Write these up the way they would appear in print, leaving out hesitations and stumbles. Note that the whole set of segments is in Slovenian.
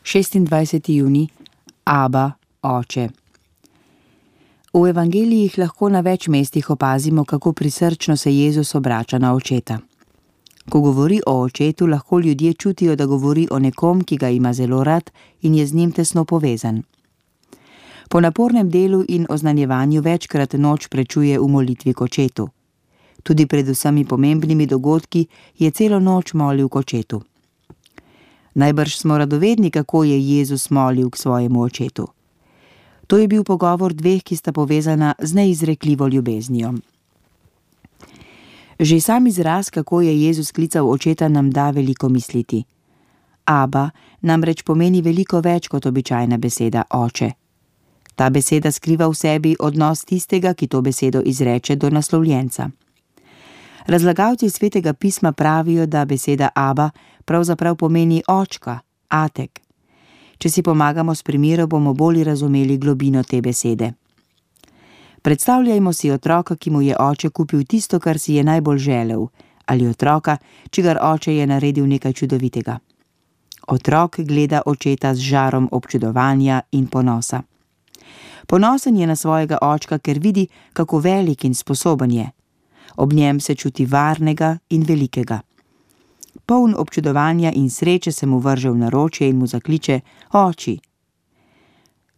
26. junij, Aba, Oče. V evangelijih lahko na več mestih opazimo, kako prisrčno se Jezus obrača na očeta. Ko govori o očetu, lahko ljudje čutijo, da govori o nekom, ki ga ima zelo rad in je z njim tesno povezan. Po napornem delu in oznanjevanju večkrat noč prečuje v molitvi k očetu. Tudi pred vsemi pomembnimi dogodki je celo noč molil k očetu. Najbrž smo radovedni, kako je Jezus molil k svojemu očetu. To je bil pogovor dveh, ki sta povezana z neizrekljivo ljubeznijo. Že sam izraz, kako je Jezus klical očeta, nam da veliko misliti. Aba namreč pomeni veliko več kot običajna beseda oče. Ta beseda skriva v sebi odnos tistega, ki to besedo izreče, do naslovljenca. Razlagalci Svetega pisma pravijo, da beseda Aba pravzaprav pomeni očka, atek. Če si pomagamo s primerom, bomo bolj razumeli globino te besede. Predstavljajmo si otroka, ki mu je oče kupil tisto, kar si je najbolj želel, ali otroka, čigar oče je naredil nekaj čudovitega. Otrok gleda očeta z žarom občudovanja in ponosa. Ponosen je na svojega očka, ker vidi, kako velik in sposoben je. Ob njem se čuti varnega in velikega. Poln občudovanja in sreče se mu vrže v naročje in mu zakliče: oči.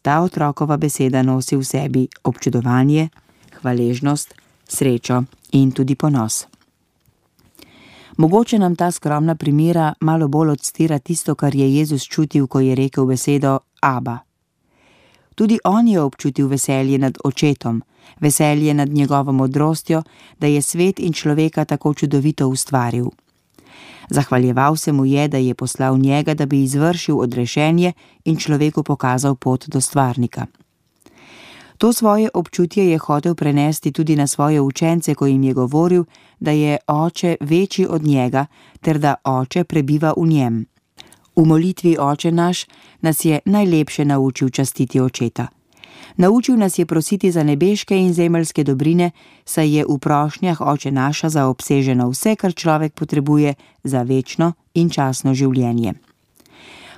Ta otrokova beseda nosi v sebi občudovanje, hvaležnost, srečo in tudi ponos. Mogoče nam ta skromna primera malo bolj odstira tisto, kar je Jezus čutil, ko je rekel besedo Aba. Tudi on je občutil veselje nad očetom, veselje nad njegovo modrostjo, da je svet in človeka tako čudovito ustvaril. Zahvaljeval se mu je, da je poslal njega, da bi izvršil odrešenje in človeku pokazal pot do stvarnika. To svoje občutje je hotel prenesti tudi na svoje učence, ko jim je govoril, da je oče večji od njega ter da oče prebiva v njem. V molitvi Oče naš nas je najlepše naučil častiti očeta. Naučil nas je prositi za nebeške in zemeljske dobrine, saj je v prošnjah Oče naša zaobseženo vse, kar človek potrebuje za večno in časno življenje.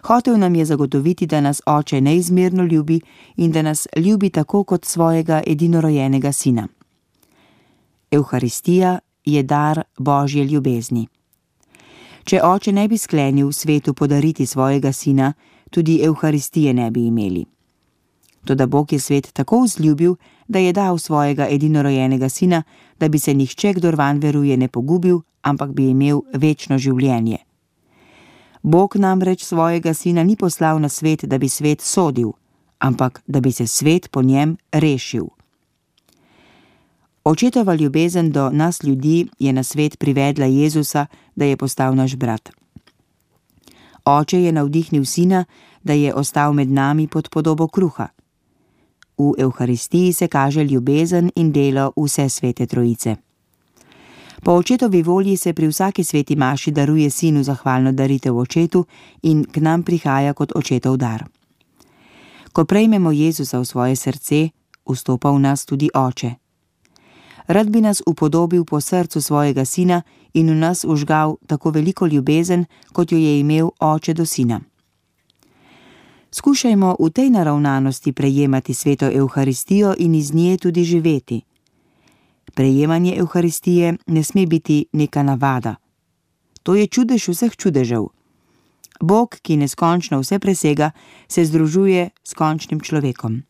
Hotel nam je zagotoviti, da nas Oče neizmerno ljubi in da nas ljubi tako kot svojega edinorojenega sina. Evharistija je dar Božje ljubezni. Če Oče ne bi sklenil svetu podariti svojega sina, tudi Evharistije ne bi imeli. Toda Bog je svet tako vzljubil, da je dal svojega edinorojenega sina, da bi se nihče, kdor vanj veruje, ne pogubil, ampak bi imel večno življenje. Bog namreč svojega sina ni poslal na svet, da bi svet sodil, ampak da bi se svet po njem rešil. Očetova ljubezen do nas ljudi je na svet privedla Jezusa, da je postal naš brat. Oče je navdihnil sina, da je ostal med nami pod podobo kruha. V Evharistiji se kaže ljubezen in delo vse svete trojice. Po očetovi volji se pri vsaki sveti maši daruje sinu zahvalno daritev očetu in k nam prihaja kot očetov dar. Ko prejmemo Jezusa v svoje srce, vstopa v nas tudi Oče. Rad bi nas upodobil po srcu svojega sina in v nas vžgal tako veliko ljubezen, kot jo je imel Oče do sina. Skušajmo v tej naravnanosti prejemati sveto Evharistijo in iz nje tudi živeti. Prejemanje Evharistije ne sme biti neka navada. To je čudež vseh čudežev. Bog, ki neskončno vse presega, se združuje s končnim človekom.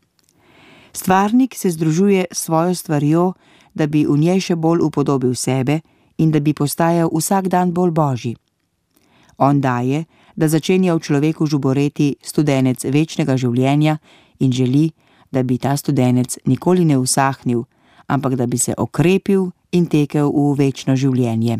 Stvarnik se združuje s svojo stvarjo, da bi v njej še bolj upodobil sebe in da bi postajal vsak dan bolj božji. On daje, da začenja v človeku žuboreti studenec večnega življenja in želi, da bi ta studenec nikoli ne usahnil, ampak da bi se okrepil in tekel v večno življenje.